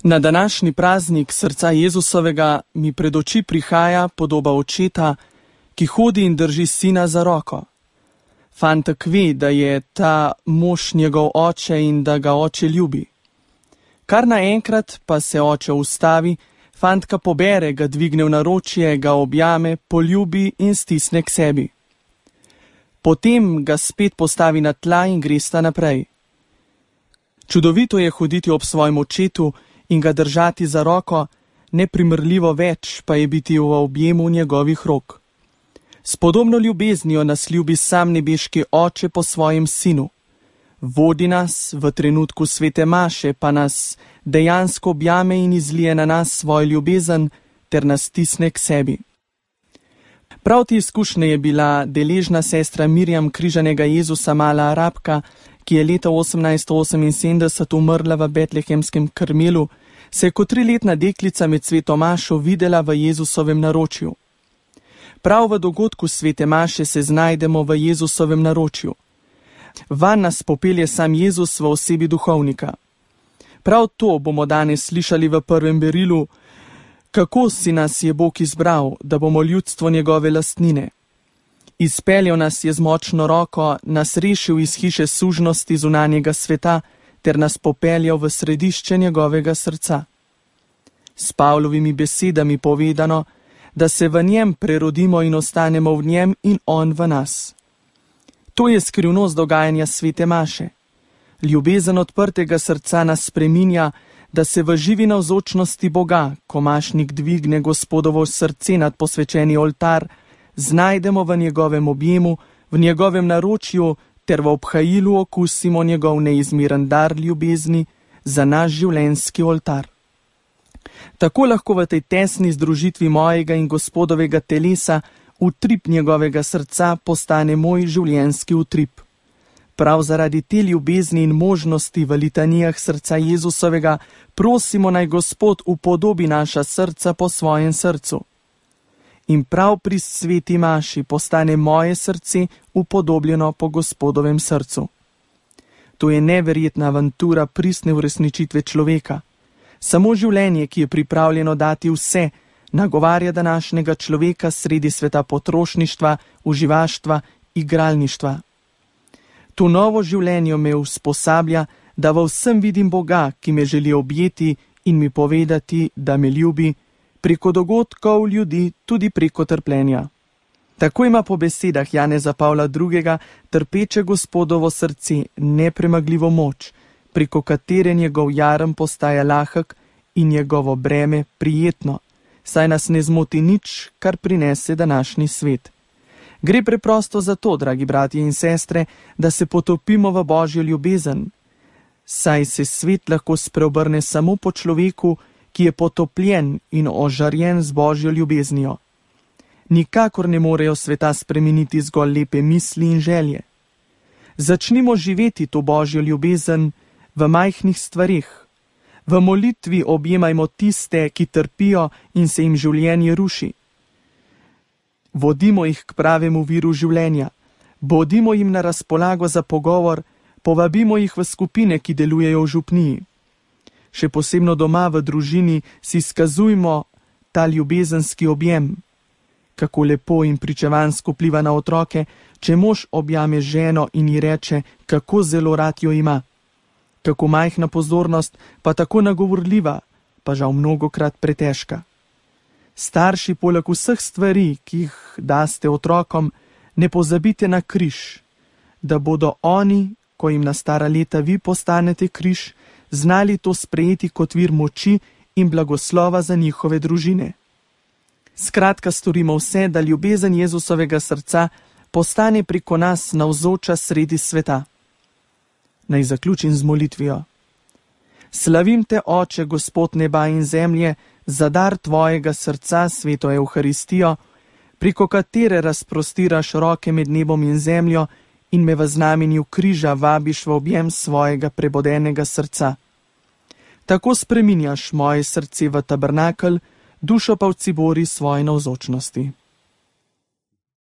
Na današnji praznik srca Jezusovega mi pred oči prihaja podoba očeta, ki hodi in drži sina za roko. Fantek ve, da je ta mož njegov oče in da ga oče ljubi. Kar naenkrat pa se oče ustavi, fantka pobere, ga dvigne v naročje, ga objame, poljubi in stisne k sebi. Potem ga spet postavi na tla in gresta naprej. Čudovito je hoditi ob svojem očetu in ga držati za roko, neprimerljivo več pa je biti v objemu njegovih rok. S podobno ljubeznijo nas ljubi sam nebeški oče po svojem sinu. Vodi nas v trenutku svete maše, pa nas dejansko objame in izlije na nas svojo ljubezen ter nas stisne k sebi. Prav te izkušnje je bila deležna sestra Mirjam križanega Jezusa, mala Arabka, ki je leta 1878 umrla v betlehemskem Karmelu, se je kot 3-letna deklica med sveto mašo videla v Jezusovem naročju. Prav v dogodku svete maše se znajdemo v Jezusovem naročju. Van nas popelje sam Jezus v osebi duhovnika. Prav to bomo danes slišali v prvem berilu, kako si nas je Bog izbral, da bomo ljudstvo njegove lastnine. Izpeljal nas je z močno roko, nas rešil iz hiše sužnosti zunanjega sveta ter nas popeljal v središče njegovega srca. S Pavlovimi besedami povedano, da se v njem prerodimo in ostanemo v njem in on v nas. To je skrivnost dogajanja svete maše. Ljubezen odprtega srca nas spreminja, da se v živi navzočnosti Boga, ko mašnik dvigne Gospodovo srce nad posvečeni oltar, znajdemo v njegovem objemu, v njegovem naročju ter v obhajilu okusimo njegov neizmeren dar ljubezni za naš življenjski oltar. Tako lahko v tej tesni združitvi mojega in Gospodovega telesa utrip njegovega srca postane moj življenjski utrip. Prav zaradi te ljubezni in možnosti v litanijah srca Jezusovega prosimo naj Gospod upodobi naša srca po svojem srcu. In prav pri sveti maši postane moje srce upodobljeno po Gospodovem srcu. To je neverjetna avantura pristne uresničitve človeka. Samo življenje, ki je pripravljeno dati vse, nagovarja današnjega človeka sredi sveta potrošništva, uživaštva, igralništva. To novo življenje me usposablja, da v vsem vidim Boga, ki me želi objeti in mi povedati, da me ljubi, preko dogodkov ljudi, tudi preko trpljenja. Tako ima po besedah Janeza Pavla II. Trpeče Gospodovo srce nepremagljivo moč, preko katere njegov jarem postaja lahek in njegovo breme prijetno, saj nas ne zmoti nič, kar prinese današnji svet. Gre preprosto za to, dragi bratje in sestre, da se potopimo v Božjo ljubezen, saj se svet lahko spreobrne samo po človeku, ki je potopljen in ožarjen z Božjo ljubeznijo. Nikakor ne morejo sveta spremeniti zgolj lepe misli in želje. Začnimo živeti to Božjo ljubezen v majhnih stvareh. V molitvi objemajmo tiste, ki trpijo in se jim življenje ruši. Vodimo jih k pravemu viru življenja, bodimo jim na razpolago za pogovor, povabimo jih v skupine, ki delujejo v župniji. Še posebno doma v družini si skazujmo ta ljubezenski objem. Kako lepo in pričevansko vpliva na otroke, če mož objame ženo in ji reče, kako zelo rad jo ima. Kako majhna pozornost, pa tako nagovorljiva, pa žal mnogokrat pretežka. Starši, poleg vseh stvari, ki jih daste otrokom, ne pozabite na križ, da bodo oni, ko jim na stara leta vi postanete križ, znali to sprejeti kot vir moči in blagoslova za njihove družine. Skratka, storimo vse, da ljubezen Jezusovega srca postane preko nas navzoča sredi sveta. Naj zaključim z molitvijo. Slavim te, Oče, Gospod neba in zemlje, za dar tvojega srca, sveto Evharistijo, preko katere razprostiraš roke med nebom in zemljo in me v znamenju križa vabiš v objem svojega prebodenega srca. Tako spreminjaš moje srce v tabernakelj, dušo pa v cibori svoje navzočnosti.